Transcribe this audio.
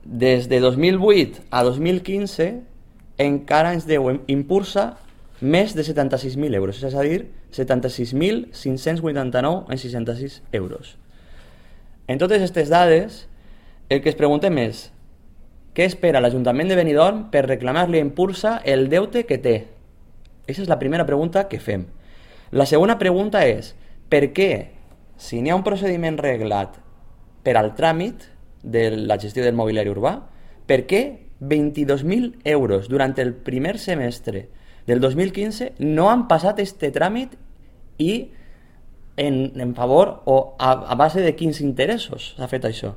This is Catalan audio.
des de 2008 a 2015 encara ens deu Impulsa més de 76.000 euros, és a dir, 76.589,66 euros. En totes aquestes dades, el que es preguntem és què espera l'Ajuntament de Benidorm per reclamar-li a Impulsa el deute que té? Aquesta és la primera pregunta que fem. La segona pregunta és per què, si n'hi ha un procediment reglat per al tràmit de la gestió del mobiliari urbà, per què 22.000 euros durant el primer semestre del 2015 no han passat este tràmit i en favor o a base de quins interessos s'ha fet això?